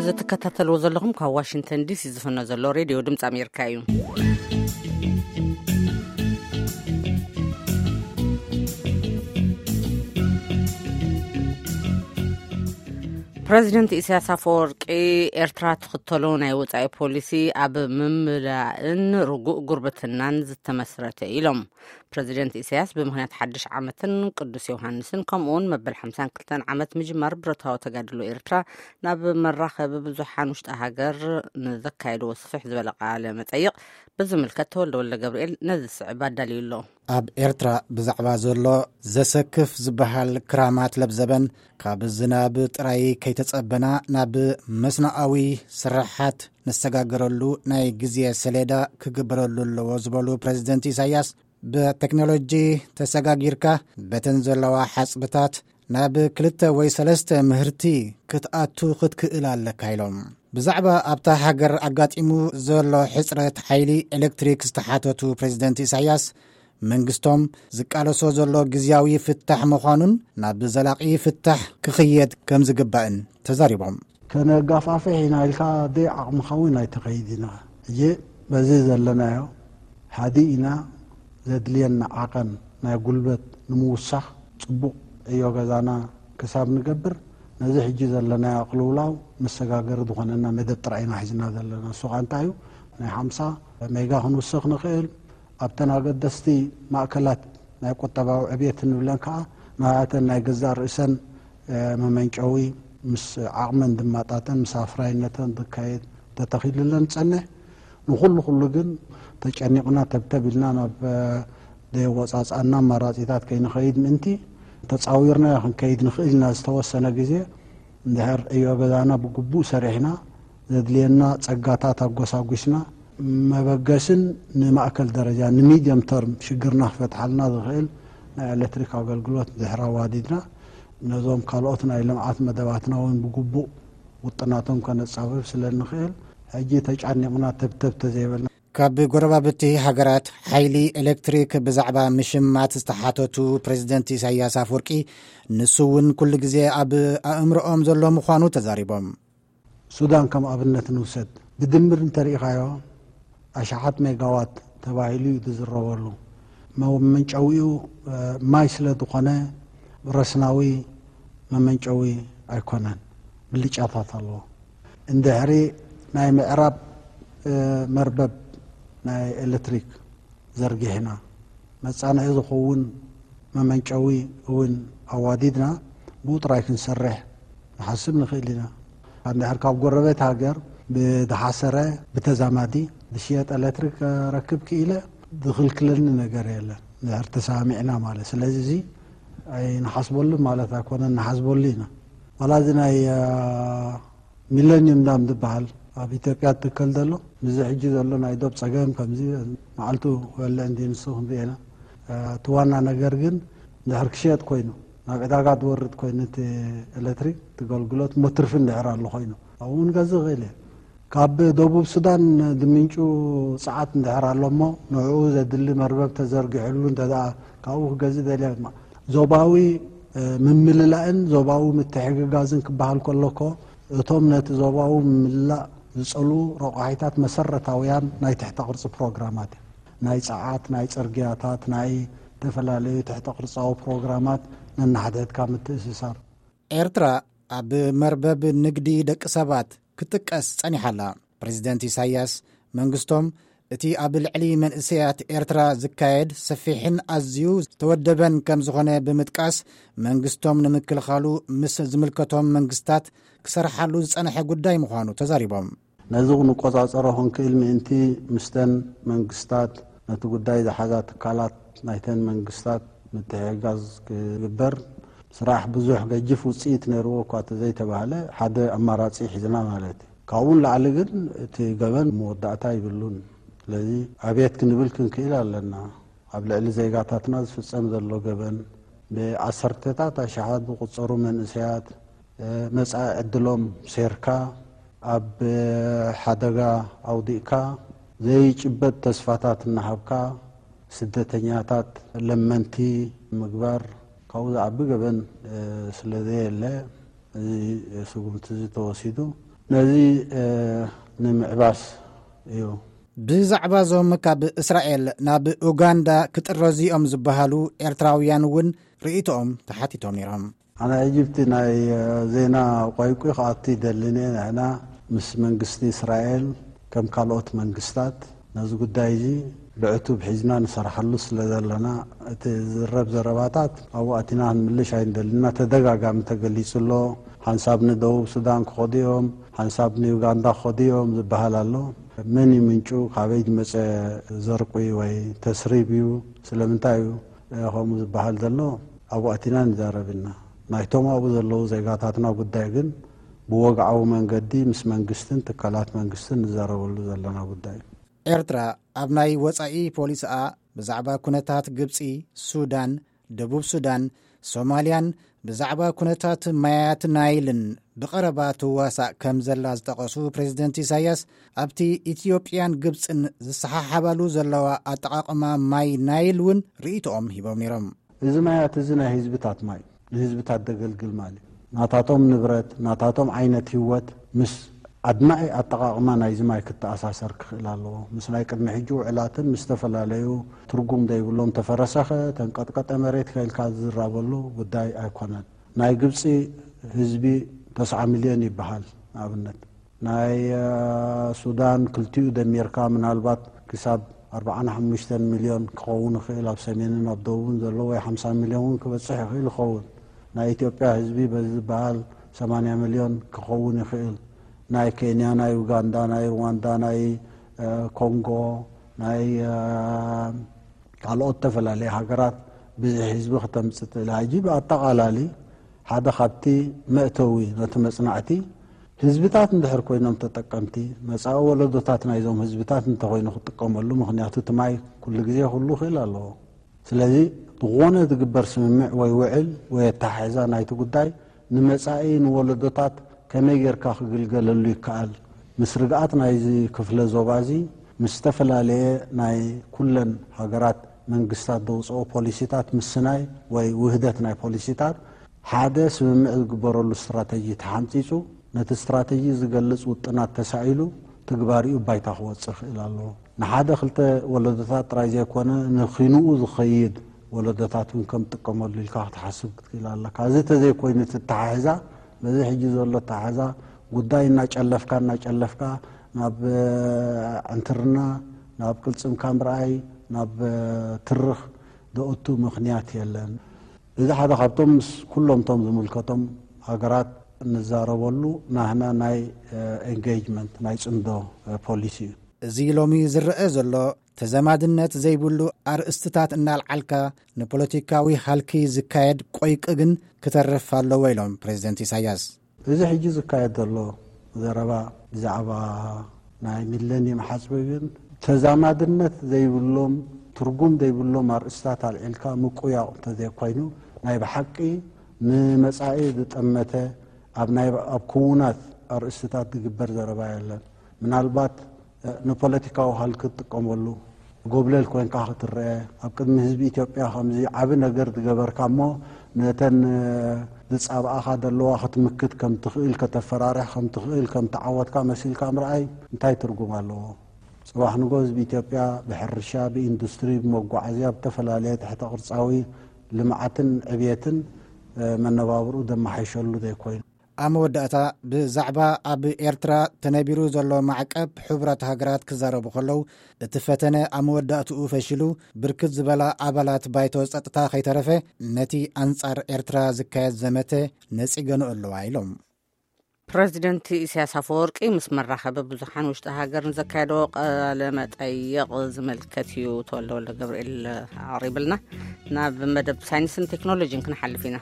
እዚ ትከታተልዎ ዘለኹም ካብ ዋሽንግተን ዲሲ ዝፍኖ ዘሎ ሬድዮ ድምፂ ኣሜሪካ እዩ። ፕረዚደንት ኢሳያስ ኣፈወርቂ፣ ኤርትራ ትኽተሎ ናይ ወጻኢ ፖሊሲ ኣብ ምምላእን ርጉእ ጉርብትናን ዝተመስረተ ኢሎም። ፕረዚደንት ኢሳያስ ብምኽንያት ሓድሽ ዓመትን ቅዱስ ዮሃንስን ከምኡውን መበል ሓምሳን ክልተን ዓመት ምጅማር ብረታዊ ተጋድሎ ኤርትራ ናብ መራኸቢ ብዙሓን ውሽጢ ሃገር ንዘካየድዎ ስፍሕ ዝበለ ቃለ መጠይቕ ብዝምልከት ተወልደ ወልደ ገብርኤል ነዚ ዝስዕብ ኣዳልዩ ኣሎ። ኣብ ኤርትራ ብዛዕባ ዘሎ ዘሰክፍ ዝበሃል ክራማት ለብዘበን፣ ካብ ዝናብ ጥራይ ከይተጸበና ናብ መስኖኣዊ ስራሓት ንሰጋገረሉ ናይ ግዜ ሰሌዳ ክግበረሉ ኣለዎ ዝበሉ ፕረዚደንት ኢሳያስ፣ ብቴክኖሎጂ ተሰጋጊርካ በተን ዘለዋ ሓጽብታት ናብ ክልተ ወይ ሰለስተ ምህርቲ ክትኣቱ ክትክእል ኣለካ ኢሎም። ብዛዕባ ኣብታ ሃገር ኣጋጢሙ ዘሎ ሕጽረት ሓይሊ ኤሌክትሪክ ዝተሓተቱ ፕረዚደንት ኢሳያስ፣ መንግስቶም ዝቃለሶ ዘሎ ግዝያዊ ፍታሕ ምዃኑን ናብ ዘላቒ ፍታሕ ክኽየድ ከም ዝግባእን ተዛሪቦም። ከነጋፋፍሕ ኢና ኢልካ ደይ ዓቕምኻ እውን ኣይተኸይድ ኢና። ሕጂ በዚ ዘለናዮ ሓዲ ኢና። ዘድልየና ዓቐን ናይ ጉልበት ንምውሳኽ ጽቡቕ ዕዮ ገዛና ክሳብ ንገብር፣ ነዚ ሕጂ ዘለናዮ ቅልውላው መሰጋገሪ ዝኾነና መደብ ጥራይ ኢና ሒዝና ዘለና። እሱ ኸኣ እንታይ እዩ? ናይ ሓምሳ ሜጋ ክንውስኽ ንኽእል። ኣብተን ኣገደስቲ ማእከላት ናይ ቁጠባዊ ዕብየት እንብለን ከኣ ናተን ናይ ገዛእ ርእሰን፣ እ፣ መመንጨዊ ምስ ዓቕመን ዝመጣጠን ምስ ኣፍራይነተን ዝካየድ ተተኺሉለን ዝጸንሕ። ንኹሉ ኩሉ ግን ተጨኒቕና ተብተብ ኢልና ናብ፣ እ፣ ዘየወጻጽኣና ኣማራጺታት ከይንኸይድ ምእንቲ ተጻዊርናዮ ክንከይድ ንኽእል ኢና። ዝተወሰነ ግዜ እንድሕር ዕዮ ገዛና ብግቡእ ሰሪሕና፣ ዘድልየና ጸጋታት ኣጎሳጒስና፣ መበገስን ንማእከል ደረጃ ንሚድየም ተርም ሽግርና ክፈትሓልና ዝኽእል ናይ ኤሌክትሪክ ኣገልግሎት እንድሕር ኣዋዲድና፣ ነዞም ካልኦት ናይ ልምዓት መደባትና እውን ብግቡእ ውጥናቶም ከነጻብብ ስለ እንኽእል፣ ሕጂ ተጫኒቕና ተብተብ ተዘይበልና። ካብ ጎረባብቲ ሃገራት ሓይሊ ኤሌክትሪክ ብዛዕባ ምሽማት ዝተሓተቱ ፕረዚደንት ኢሳያስ ኣፈወርቂ፣ ንሱ እውን ኩሉ ግዜ ኣብ ኣእምሮኦም ዘሎ ምዃኑ ተዛሪቦም። ሱዳን ከም ኣብነት ንውሰድ። ብድምር እንተሪኢኻዮ፣ ኣሽሓት ሜጋዋት ተባሂሉ እዩ ዝዝረበሉ። መመንጨዊኡ፣ እ፣ ማይ ስለ ዝኾነ፣ ረስናዊ መመንጨዊ ኣይኮነን። ብልጫታት ኣለዎ። እንድሕሪ ናይ ምዕራብ፣ እ፣ መርበብ ናይ ኤሌክትሪክ ዘርጊሕና፣ መጻንሒ ዝኸውን መመንጨዊ እውን ኣዋዲድና፣ ብኡ ጥራይ ክንሰርሕ ንሓስብ ንኽእል ኢና። እንድሕር ካብ ጎረቤት ሃገር ብዝሓሰረ ብተዛማዲ ዝሽየጥ ኤሌክትሪክ ከረክብ ክኢለ፣ ዝኽልክለኒ ነገር የለን፣ እንድሕር ተሰማሚዕና ማለት። ስለዚ፣ እዚ ኣይንሓስበሉን ማለት ኣይኮነን፣ ንሓስበሉ ኢና። ዋላ እዚ ናይ፣ አ፣ ሚለኒየም ዳም ዝበሃል ኣብ ኢትዮጵያ ትከል ዘሎ፣ ምስዚ ሕጂ ዘሎ ናይ ዶብ ጸገም፣ ከምዚ መዓልቱ ክበልዕ እንዲ ንሱ ክንርኢ ኢና። እ፣ እቲ ዋና ነገር ግን፣ እንድሕር ክሽየጥ ኮይኑ፣ ናብ ዕዳጋ ዝወርድ ኮይኑ፣ እቲ ኤሌክትሪክ፣ እቲ ኣገልግሎት፣ እሞ ትርፊ እንድሕር ኣሎ ኮይኑ፣ ኣብኡ ንገዝእ ይኽእል እየ። ካብ ደቡብ ሱዳን ዝምንጩ ጸዓት እንድሕር ኣሎ እሞ፣ ንዕኡ ዘድሊ መርበብ ተዘርጊሕሉ፣ እንተ ደኣ ካብኡ ክገዝእ ደልየ፣ ማ-፣ ዞባዊ፣ እ፣ ምምልላእን ዞባዊ ምትሕግጋዝን ክበሃል ከሎ እኮ፣ እቶም ነቲ ዞባዊ ምምላእ ዝጸልዉ ረቋሒታት መሰረታውያን ናይ ትሕተ ቅርጺ ፕሮግራማት እዮም። ናይ ጸዓት፣ ናይ ጽርግያታት፣ ናይ ዝተፈላለዩ ትሕተ ቅርጻዊ ፕሮግራማት ነንሓድሕድካ ምትእስሳር። ኤርትራ ኣብ መርበብ ንግዲ ደቂ ሰባት ክትጥቀስ ጸኒሓ ኣላ። ፕረዚደንት ኢሳያስ መንግስቶም እቲ ኣብ ልዕሊ መንእሰያት ኤርትራ ዝካየድ ሰፊሕን ኣዝዩ ዝተወደበን ከም ዝኾነ ብምጥቃስ፣ መንግስቶም ንምክልኻሉ ምስ ዝምልከቶም መንግስታት ክሰርሓሉ ዝጸንሐ ጉዳይ ምዃኑ ተዛሪቦም። ነዚ ክንቆጻጸሮ ክንክእል ምእንቲ፣ ምስተን መንግስታት፣ ነቲ ጉዳይ ዝሓዛ ትካላት ናይተን መንግስታት ምትሕግጋዝ ክግበር፣ ስራሕ ብዙሕ ገጅፍ ውጽኢት ነይርዎ እኳ እንተዘይተባህለ፣ ሓደ ኣማራጺ ሒዝና ማለት እዩ። ካብኡ ንላዕሊ ግን እቲ ገበን መወዳእታ ይብሉን። ስለዚ ኣብየት ክንብል ክንክእል ኣለና። ኣብ ልዕሊ ዜጋታትና ዝፍጸም ዘሎ ገበን፣ ብዓሰርተታት ኣሽሓት ዝቑጸሩ መንእሰያት፣ እ፣ መጻኢ ዕድሎም ሴርካ፣ ኣብ ሓደጋ ኣውዲቕካ፣ ዘይጭበጥ ተስፋታት እናሃብካ፣ ስደተኛታት ለመንቲ ምግባር፣ ካብኡ ዝዓቢ ገበን፣ እ፣ ስለ ዘየለ፣ እዚ ስጉምቲ እዚ ተወሲዱ። ነዚ ንምዕባስ እዩ። ብዛዕባ እዞም ካብ እስራኤል ናብ ኡጋንዳ ክጥረዙ እዮም ዝበሃሉ ኤርትራውያን እውን ርእይቶኦም ተሓቲቶም ነይሮም። ኣነ ኢጅፕቲ ናይ ዜና ቋይቁ ክኣቱ ይደልን እየ። ንሕና ምስ መንግስቲ እስራኤል ከም ካልኦት መንግስታት ነዚ ጉዳይ እዚ ብዕቱብ ሒዝና ንሰርሓሉ ስለ ዘለና፣ እቲ ዝረብ ዘረባታት ኣብኡ ኣቲና ክንምልሽ ኣይንደልና። ተደጋጋሚ ተገሊጹ ኣሎ። ሓንሳብ ንደቡብ ሱዳን ክኸዱ እዮም፣ ሓንሳብ ንዩጋንዳ ክኸዱ እዮም ዝበሃል ኣሎ። መን እዩ ምንጩ? ካበይ ዝመጸ ዘርቂ ወይ ተስሪብ እዩ? ስለምንታይ እዩ ከምኡ ዝበሃል ዘሎ? ኣብኡ ኣቲና ንዛረብ ኢና። ናይቶም ኣብኡ ዘለዉ ዜጋታትና ጉዳይ ግን ብወግዓዊ መንገዲ ምስ መንግስትን ትካላት መንግስትን ንዛረበሉ ዘለና ጉዳይ እዩ። ኤርትራ ኣብ ናይ ወጻኢ ፖሊስኣ ብዛዕባ ኩነታት ግብጺ፣ ሱዳን፣ ደቡብ ሱዳን፣ ሶማልያን ብዛዕባ ኩነታት ማያት ናይልን ብቐረባ ትዋሳእ ከም ዘላ ዝጠቐሱ ፕሬዝደንት ኢሳያስ፣ ኣብቲ ኢትዮጵያን ግብጽን ዝሰሓሓባሉ ዘለዋ ኣጠቓቕማ ማይ ናይል እውን ርእይቶኦም ሂቦም ነይሮም። እዚ ማያት እዚ ናይ ህዝብታት ማይ፣ ንህዝብታት ደገልግል ማል እዩ። ናታቶም ንብረት፣ ናታቶም ዓይነት ህይወት ምስ ኣድማዒ ኣጠቓቕማ ናይዚ ማይ ክተኣሳሰር ክኽእል ኣለዎ። ምስ ናይ ቅድሚ ሕጂ ውዕላትን ምስ ዝተፈላለዩ ትርጉም ዘይብሎም፣ ተፈረሰኸ ተንቀጥቀጠ መሬት ከኢልካ ዝዝራበሉ ጉዳይ ኣይኮነን። ናይ ግብፂ ህዝቢ ተስዓ ሚልዮን ይበሃል። ንኣብነት ናይ ሱዳን ክልቲኡ ደሚርካ ምናልባት ክሳብ ኣርባዓን ሓሙሽተን ሚልዮን ክኸውን ይኽእል፣ ኣብ ሰሜንን ኣብ ደቡብን ዘሎ፣ ወይ ሓምሳ ሚልዮን እውን ክበፅሕ ይኽእል ይኸውን። ናይ ኢትዮጵያ ህዝቢ በዚ ዝበሃል ሰማንያ ሚልዮን ክኸውን ይኽእል። ናይ ኬንያ፣ ናይ ኡጋንዳ፣ ናይ ሩዋንዳ፣ ናይ ኮንጎ፣ ናይ ካልኦት ዝተፈላለየ ሃገራት ብዝሒ ህዝቢ ክተምፅእ ትኽእል። ሕጂ ብኣጠቓላሊ ሓደ ካብቲ መእተዊ ነቲ መፅናዕቲ፣ ህዝብታት እንድሕር ኮይኖም ተጠቀምቲ፣ መፃኢ ወለዶታት ናይዞም ህዝብታት እንተኮይኑ ክጥቀመሉ፣ ምክንያቱ እቲ ማይ ኩሉ ግዜ ክህሉ ክእል ኣለዎ። ስለዚ ዝኾነ ዝግበር ስምምዕ ወይ ውዕል ወይ ኣተሓሕዛ ናይቲ ጉዳይ ንመፃኢ ንወለዶታት ከመይ ጌርካ ክግልገለሉ ይከኣል፣ ምስ ርግኣት ናይዚ ክፍለ ዞባ እዚ ምስ ዝተፈላለየ ናይ ኩለን ሃገራት መንግስታት ዘውፅኦ ፖሊሲታት ምስናይ ወይ ውህደት ናይ ፖሊሲታት ሓደ ስምምዕ ዝግበረሉ ስትራተጂ ተሓንፂፁ፣ ነቲ ስትራተጂ ዝገልፅ ውጥናት ተሳኢሉ ትግባሪኡ ባይታ ክወፅእ ይኽእል ኣለዎ። ንሓደ ክልተ ወለዶታት ጥራይ ዘይኮነ ንኺንኡ ዝኸይድ ወለዶታት እውን ከም ጥቀመሉ ኢልካ ክትሓስብ ክትክእል ኣለካ። እዚ ተዘይኮይኑ እቲ ኣተሓሕዛ፣ በዚ ሕጂ ዘሎ ኣተሓሕዛ ጉዳይ እናጨለፍካ እናጨለፍካ ናብ ዕንትርና፣ ናብ ቅልፅምካ ምርኣይ፣ ናብ ትርኽ ደኦቱ ምኽንያት የለን። እዚ ሓደ ካብቶም ምስ ኩሎም እቶም ዝምልከቶም ሃገራት እንዛረበሉ ናህና ናይ ኤንጌጅመንት ናይ ፅምዶ ፖሊሲ እዩ። እዚ ሎሚ ዝረአ ዘሎ ተዘማድነት ዘይብሉ ኣርእስትታት እናልዓልካ ንፖለቲካዊ ሃልኪ ዝካየድ ቆይቂ ግን ክተርፍ ኣለዎ ኢሎም ፕሬዝደንት ኢሳያስ። እዚ ሕጂ ዝካየድ ዘሎ ዘረባ ብዛዕባ ናይ ሚለኒየም ሓጽቢ ግን ተዛማድነት ዘይብሎም፣ ትርጉም ዘይብሎም ኣርእስታት ኣልዒልካ ምቁያቕ እንተዘይኮይኑ፣ ናይ ብሓቂ ንመጻኢ ዝጠመተ፣ ኣብ ናይ፣ ኣብ ክውናት ኣርእስትታት ዝግበር ዘረባ የለን። ምናልባት ንፖለቲካዊ ሃልኪ ትጥቀመሉ፣ ጎብለል ኮንካ ክትረአ፣ ኣብ ቅድሚ ህዝቢ ኢትዮጵያ ከምዚ ዓቢ ነገር ዝገበርካ እሞ ነተን ዝጻብኣኻ ዘለዋ ክትምክት ከም ትኽእል፣ ከተፈራርሕ ከም ትኽእል፣ ከም ተዓወትካ መሲልካ ምርኣይ እንታይ ትርጉም ኣለዎ? ጽባሕ ንጎ ህዝቢ ኢትዮጵያ ብሕርሻ፣ ብኢንዱስትሪ፣ ብመጓዓዝያ፣ ብተፈላለየ ትሕተ ቅርጻዊ ልምዓትን ዕብየትን መነባብርኡ ዘመሓይሸሉ ዘይኮይኑ። ኣብ መወዳእታ ብዛዕባ ኣብ ኤርትራ ተነቢሩ ዘሎ ማዕቀብ ሕቡራት ሃገራት ክዛረቡ ከለዉ፣ እቲ ፈተነ ኣብ መወዳእትኡ ፈሺሉ፣ ብርክት ዝበላ ኣባላት ባይቶ ጸጥታ ከይተረፈ ነቲ ኣንጻር ኤርትራ ዝካየድ ዘመተ ነጺገንኦ ኣለዋ ኢሎም። ፕረዚደንት ኢሳያስ ኣፈወርቂ ምስ መራኸቢ ብዙሓን ውሽጢ ሃገር ንዘካየዶ ቃለ መጠይቕ ዝምልከት እዩ ተወልደ ወልደ ገብርኤል ኣቕሪብልና። ናብ መደብ ሳይንስን ቴክኖሎጂን ክንሓልፍ ኢና።